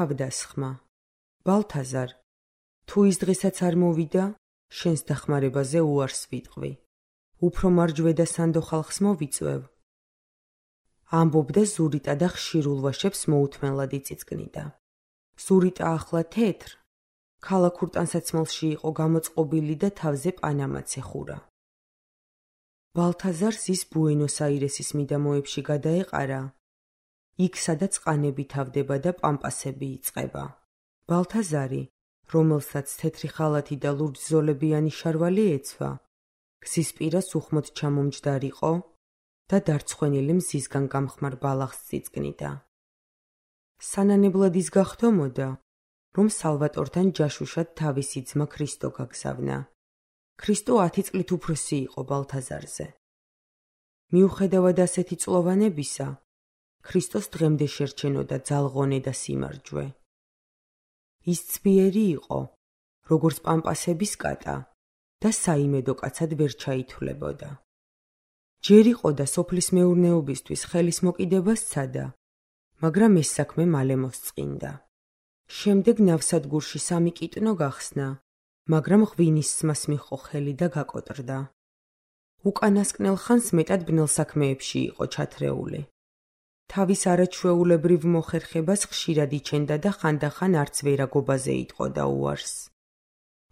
თავდასხმა. ბალთაზარ, თუ ის დღესაც არ მოვიდა, შენს დახმარებაზე უარს ვიტყვი. უფრო მარჯვედა სანდო ხალხს მოვიწვევ. ამბობდა ზურიტა და ხშირ ულვაშებს მოუთმენლად იწიწკნიდა. ზურიტა ახლა თეთრ, ქალაქურ ტანსაცმელში იყო გამოწყობილი და თავზე პანამაც ეხურა. ბალთაზარს ის ბუენოს-აირესის მიდამოებში გადაეყარა, იქ სადაც ყანები თავდება და პამპასები იწყება. ბალთაზარი, რომელსაც თეთრი ხალათი და ლურჯ-ზოლებიანი შარვალი ეცვა, გზის პირას უხმოდ ჩამომჯდარიყო და დარცხვენილი მზისგან გამხმარ ბალახს წიწკნიდა. სანანებლად ის გახდომოდა, რომ სალვატორთან ჯაშუშად თავისი ძმა ქრისტო გაგზავნა. ქრისტო 10 წლით უფროსი იყო ბალთაზარზე. მიუხედავად ასეთი წლოვანებისა, ქრისტოს დღემდე შერჩენოდა ძალღონე და სიმარჯვე. ის ძლიერი იყო, როგორც პამპასების კატა და საიმედო კაცად ვერ ჩაითვლებოდა. ჯერ იყო და სოფლის მეურნეობისთვის ხელის მოკიდება სცადა, მაგრამ ეს საქმე მალე მოსწყინდა. შემდეგ ნავსადგურში 3 კიტნო გახსნა, მაგრამ ღვინის სმას მიჰყო ხელი და გაკოტრდა. უკანასკნელ ხანს მეტად ბნელ საქმეებში იყო ჩათრეული. თავის არაჩვეულებრივ მოხერხებას ხშირად იჩენდა და ხანდახან არც ვერაგობაზე იტყოდა უარს.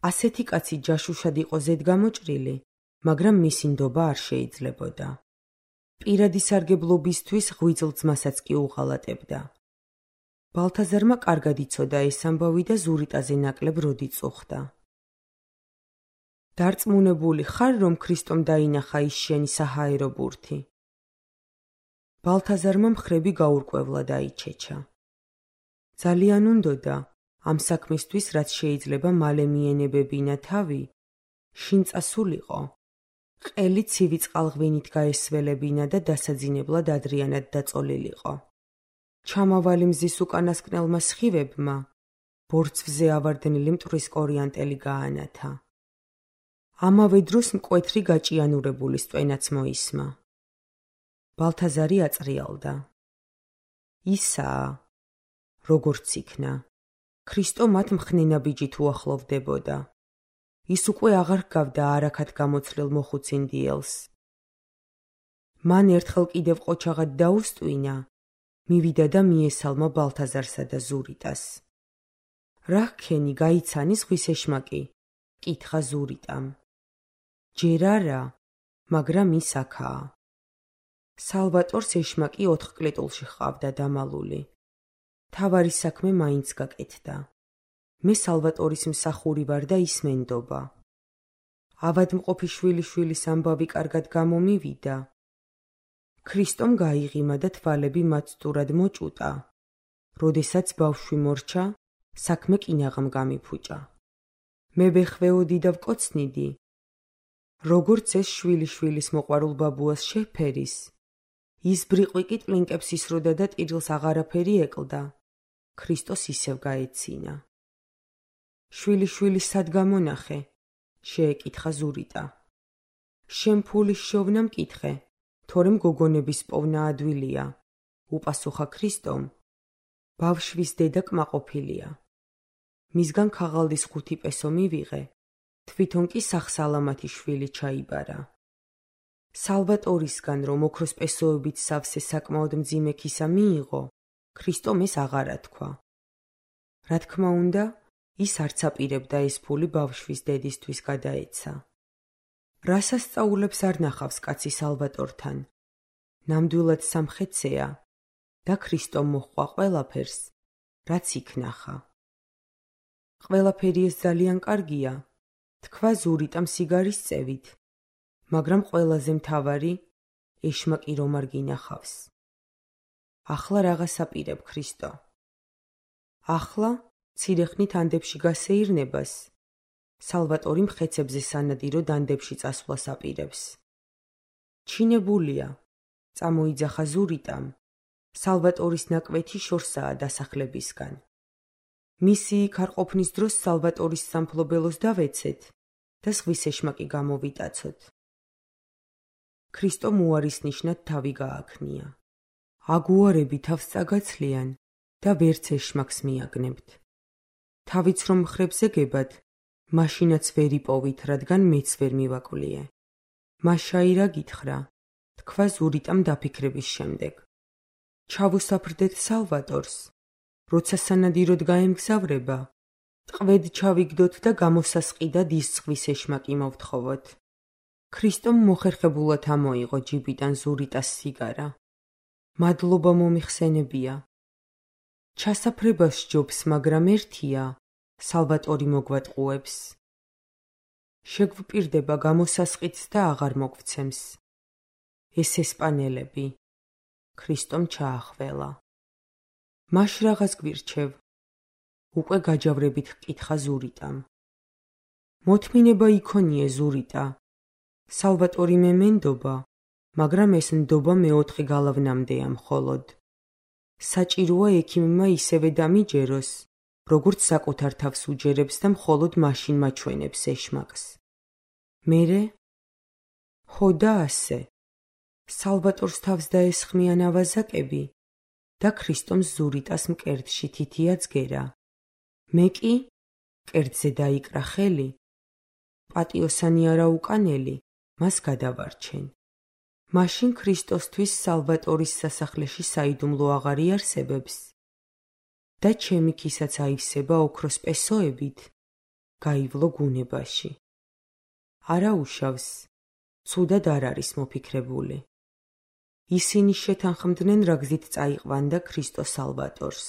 ასეთი კაცი ჯაშუშად იყო ზედგამოჭრილი, მაგრამ მისი ნდობა არ შეიძლებოდა. პირადი სარგებლობისთვის ღვიძლ ძმასაც კი უღალატებდა. ბალთაზარმა კარგად იცოდა ეს ამბავი და ზურიტაზე ნაკლებ როდი წუხდა. დარწმუნებული ხარ, რომ ქრისტომ დაინახა ის შენი საჰაერო ბურთი? ბალთაზარმა მხრები გაურკვევლად აიჩეჩა. ძალიან უნდოდა, ამ საქმისთვის, რაც შეიძლება მალე მიენებებინა თავი, შინ წასულიყო, ყელი ცივი წყალღვინით გაესველებინა და დასაძინებლად ადრიანად დაწოლილიყო. ჩამავალი მზის უკანასკნელმა სხივებმა ბორცვზე ავარდნილი მტვრის კორიანტელი გაანათა. ამავე დროს მკვეთრი გაჭიანურებული სტვენაც მოისმა. ბალთაზარი აწრიალდა. ისაა, როგორც იქნა. ქრისტო მათ მხნენაბიჯით უახლოვდებოდა. ის უკვე აღარ ჰგავდა არაქად გამოცლილ მოხუცინდიელს. მან ერთხელ კიდევ ყოჩაღად დაუსტვინა, მივიდა და მიესალმა ბალთაზარსა და ზურიტას. რა ჰქენი, გაიცანი ზღვის ეშმაკი? კითხა ზურიტამ. ჯერ არა, მაგრამ ის აქაა. სალვატორს ეშმაკი 4 კლეტულში ჰყავდა დამალული. თავარი საქმე მაინც გაკეთდა. მე სალვატორის მსახური ვარ და ის მენდობა. ავადმყოფი შვილიშვილის ამბავი კარგად გამომივიდა. ქრისტომ გაიღიმა და თვალები მაცდურად მოჭუტა. როდესაც ბავშვი მორჩა, საქმე კინაღამ გამიფუჭა. მე ვეხვეოდი და ვკოცნიდი. როგორც ეს შვილიშვილის მოყვარულ ბაბუას შეფერის, ის ბრიყვი კი ტლინკებს ისროდა და ტირილს აღარაფერი ეკლდა. ქრისტოს ისევ გაეცინა. შვილიშვილის სად გამონახე? შეეკითხა ზურიტა. შენ ფულის შოვნა მკითხე, თორემ გოგონების პოვნა ადვილია, უპასუხა ქრისტომ. ბავშვის დედა კმაყოფილია. მისგან ქაღალდის 5 პესო მივიღე, თვითონ კი სახსალამათი შვილი ჩაიბარა. სალვატორისგან რომ ოქროს პესოებით სავსე საკმაოდ მძიმე ქისა მიიღო, ქრისტომ ეს აღარა თქვა. რა თქმა უნდა, ის არც აპირებდა ეს ფული ბავშვის დედისთვის გადაეცა. რას ასწაულებს არ ნახავს კაცი სალვატორთან. ნამდვილად სამხეცეა და ქრისტომ მოჰყვა ყველაფერს, რაც იქ ნახა. ყველაფერი ეს ძალიან კარგია, თქვა ზურიტამ სიგარის წევით, მაგრამ ყველაზე მთავარი, ეშმაკი რომ არ გინახავს. ახლა რაღაც აპირებ ქრისტო. ახლა ცირეხნით ანდებში გასეირნებას, სალვატორი მხეცებზე სანადირო დანდებში წასვლას აპირებს. ჩინებულია, წამოიძახა ზურიტამ, სალვატორის ნაკვეთი შორსაა დასახლებისგან. მისი იქ არ ყოფნის დროს სალვატორის სამფლობელოს დავეცეთ და ზღვის ეშმაკი გამოვიტაცოთ. ქრისტომ უარის ნიშნად თავი გააქნია. აგუარები თავს წაგაცლიან, და ვერც ეშმაკს მიაგნებთ. თავიც რომ მხრებზე გებად, მაშინაც ვერ იპოვით, რადგან მეც ვერ მივაკვლიე. მაშაირა გითხრა, თქვა ზურიტამ დაფიქრების შემდეგ. ჩავუსაფრდეთ სალვატორს, როცა სანადიროდ გაემგზავრება, ტყვედ ჩავიგდოთ და გამოსასყიდად ის ზღვის ეშმაკი მოვთხოვოთ. ქრისტომ მოხერხებულად ამოიღო ჯიბიდან ზურიტას სიგარა. მადლობა მომიხსენებია. ჩასაფრებას სჯობს, მაგრამ ერთია, სალვატორი მოგვატყუებს. შეგვპირდება გამოსასყიდს და აღარ მოგვცემს. ეს ესპანელები. ქრისტომ ჩაახველა. მაშ რაღაც გვირჩევ. უკვე გაჯავრებით ჰკითხა ზურიტამ. მოთმინება იქონიე ზურიტა. სალვატორი მე მენდობა, მაგრამ ეს ნდობა მეოთხე გალავნამდეა მხოლოდ. საჭიროა ექიმმა ისევე დამიჯეროს, როგორც საკუთარ თავს უჯერებს და მხოლოდ მაშინ მაჩვენებს ეშმაკს. მერე? ხო და ასე. სალვატორს თავს დაესხმიან ავაზაკები და ქრისტომ ზურიტას მკერდში თითია ძგერა. მე კი მკერდზე დაიკრა ხელი. პატიოსანი არა უკანელი, მას გადავარჩენ. მაშინ ქრისტოსთვის სალვატორის სასახლეში საიდუმლო აღარ იარსებებს და ჩემი ქისაც აივსება ოქროს პესოებით, გაივლო გუნებაში. არა უშავს, ცუდად არ არის მოფიქრებული. ისინი შეთანხმდნენ, რა გზით წაიყვანდა ქრისტო სალვატორს.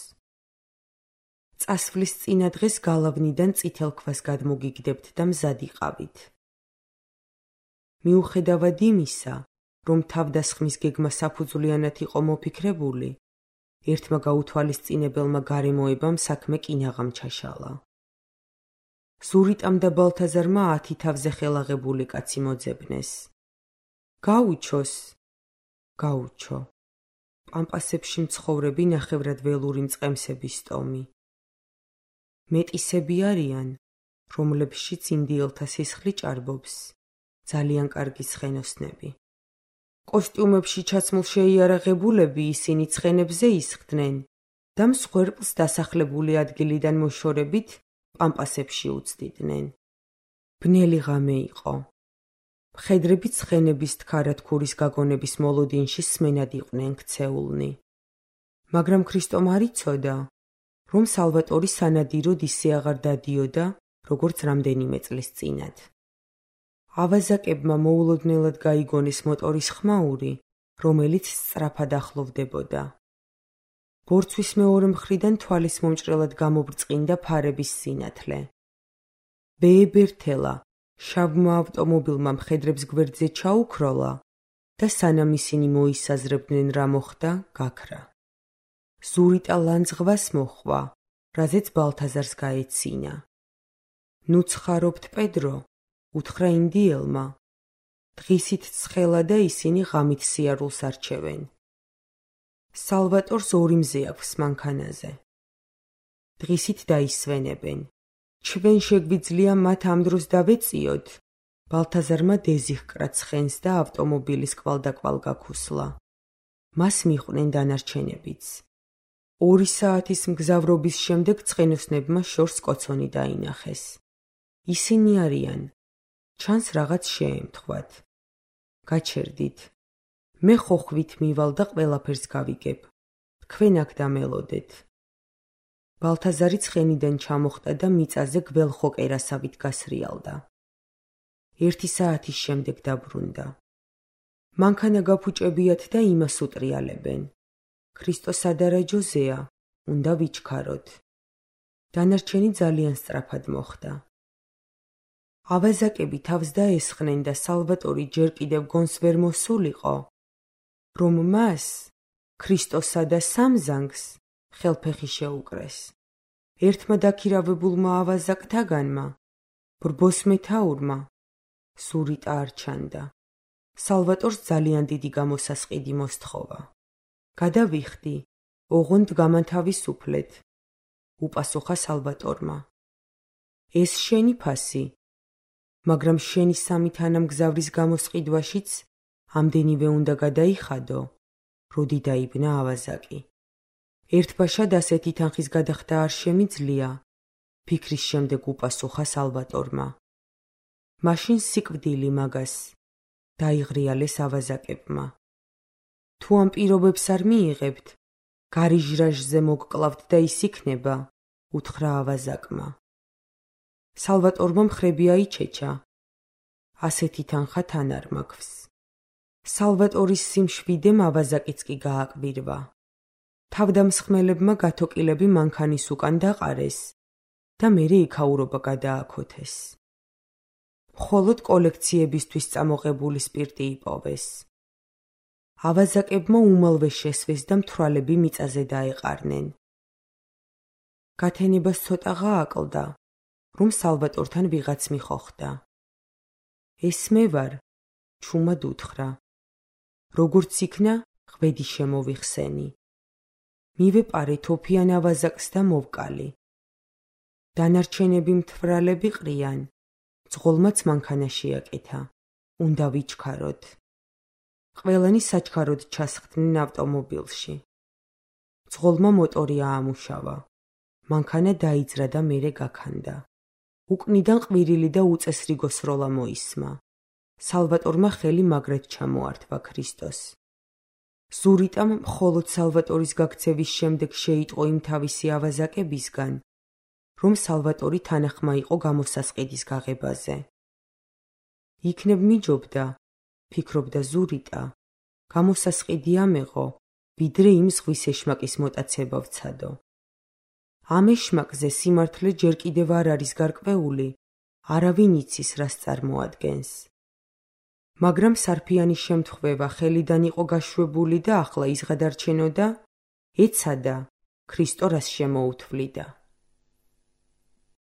წასვლის წინა დღეს გალავნიდან წითელ ქვას გადმოგიგდებთ და მზად იყავით. მიუხედავად იმისა, რომ თავდასხმის გეგმა საფუძვლიანად იყო მოფიქრებული, ერთმა გაუთვალისწინებელმა გარემოებამ საქმე კინაღამ ჩაშალა. ზურიტამ და ბალთაზარმა 10 თავზე ხელაღებული კაცი მოძებნეს. გაუჩოს. გაუჩო. პამპასებში მცხოვრები ნახევრად ველური მწყემსების ტომი. მეტისები არიან, რომლებშიც ინდიელთა სისხლი ჭარბობს, ძალიან კარგი ცხენოსნები. კოსტიუმებში ჩაცმულ შეიარაღებულები ისინი ცხენებზე ისხდნენ და მსხვერპლს დასახლებული ადგილიდან მოშორებით პამპასებში უცდიდნენ. ბნელი ღამე იყო. მხედრები ცხენების თქარათქურის გაგონების მოლოდინში სმენად იყვნენ ქცეულნი. მაგრამ ქრისტომ არ იცოდა, რომ სალვატორი სანადიროდ ისე აღარ დადიოდა, როგორც რამდენიმე წლის წინათ. ავაზაკებმა მოულოდნელად გაიგონეს მოტორის ხმაური, რომელიც სწრაფად ახლოვდებოდა. ბორცვის მეორე მხრიდან თვალის მომჭრელად გამობრწყინდა ფარების სინათლე. ბეებერთელა შავმა ავტომობილმა მხედრებს გვერდზე ჩაუქროლა და სანამ ისინი მოისაზრებდნენ რა მოხდა, გაქრა. ზურიტა ლანძღვას მოჰყვა, რაზეც ბალთაზარს გაეცინა. ნუ ცხარობთ პედრო, უთხრა ინდიელმა. დღისით ცხელა და ისინი ღამით სიარულს არჩევენ. სალვატორს 2 მზე აქვს მანქანაზე. დღისით დაისვენებენ. ჩვენ შეგვიძლია მათ ამ დროს დავეწიოთ. ბალთაზარმა დეზი ჰკრა ცხენს და ავტომობილის კვალდაკვალ გაქუსლა. მას მიჰყვნენ დანარჩენებიც. 2 საათის მგზავრობის შემდეგ ცხენოსნებმა შორს კოცონი დაინახეს. ისინი არიან. ჩანს რაღაც შეემთხვათ. გაჩერდით. მე ხოხვით მივალ და ყველაფერს გავიგებ. თქვენ აქ დამელოდეთ. ბალთაზარი ცხენიდან ჩამოხტა და მიწაზე გველხო კერასავით გასრიალდა. 1 საათის შემდეგ დაბრუნდა. მანქანა გაფუჭებიათ და იმას უტრიალებენ. ქრისტო სადარაჯოზეა, უნდა ვიჩქაროთ. დანარჩენი ძალიან სწრაფად მოხდა. ავაზაკები თავს დაესხნენ და სალვატორი ჯერ კიდევ გონს ვერ მოსულიყო, რომ მას, ქრისტოსა და სამზანგს, ხელფეხი შეუკრეს. ერთმა დაქირავებულმა ავაზაკთაგანმა, ბრბოს მეთაურმა, ზურიტა არ ჩანდა. სალვატორს ძალიან დიდი გამოსასყიდი მოსთხოვა. გადავიხდი, ოღონდ გამანთავისუფლეთ, უპასუხა სალვატორმა. ეს შენი ფასი, მაგრამ შენი 3 თანამგზავრის გამოსყიდვაშიც ამდენივე უნდა გადაიხადო, როდი დაიბნა ავაზაკი. ერთბაშად ასეთი თანხის გადახდა არ შემიძლია, ფიქრის შემდეგ უპასუხა სალვატორმა. მაშინ სიკვდილი მაგას, დაიღრიალეს ავაზაკებმა. თუ ამ პირობებს არ მიიღებთ, გარიჟრაჟზე მოგკლავთ და ის იქნება, უთხრა ავაზაკმა. სალვატორმა მხრები აიჩეჩა. ასეთი თანხა თან არ მაქვს. სალვატორის სიმშვიდემ ავაზაკიც კი გააკვირვა. თავდამსხმელებმა გათოკილები მანქანის უკან დაყარეს და მერე იქაურობა გადააქოთეს. მხოლოდ კოლექციებისთვის წამოღებული სპირტი იპოვეს. ავაზაკებმა უმალვე შესვეს და მთვრალები მიწაზე დაეყარნენ. გათენებას ცოტა გააკლდა, რომ სალვატორთან ვიღაც მიხოხდა. ეს მე ვარ, ჩუმად უთხრა. როგორც იქნა, ღვედი შემოვიხსენი. მივეპარე თოფიან ავაზაკს და მოვკალი. დანარჩენები მთვრალები ყრიან, ძღოლმაც მანქანა შეაკეთა, უნდა ვიჩქაროთ. ყველანი საჩქაროდ ჩასხდნენ ავტომობილში. ძღოლმა მოტორი აამუშავა. მანქანა დაიძრა და მერე გაქანდა. უკნიდან ყვირილი და უწესრიგო სროლა მოისმა. სალვატორმა ხელი მაგრად ჩამოართვა ქრისტოს. ზურიტამ მხოლოდ სალვატორის გაქცევის შემდეგ შეიტყო იმ თავისი ავაზაკებისგან, რომ სალვატორი თანახმა იყო გამოსასყიდის გაღებაზე. იქნებ მიჯობდა, ფიქრობდა ზურიტა, გამოსასყიდი ამეღო, ვიდრე იმ ზღვის ეშმაკის მოტაცება ვცადო. ამ ეშმაკზე სიმართლე ჯერ კიდევ არ არის გარკვეული, არავინ იცის რას წარმოადგენს. მაგრამ სარფიანის შემთხვევა ხელიდან იყო გაშვებული და ახლა ის გადარჩენოდა, ეცადა, ქრისტო რას შემოუთვლიდა.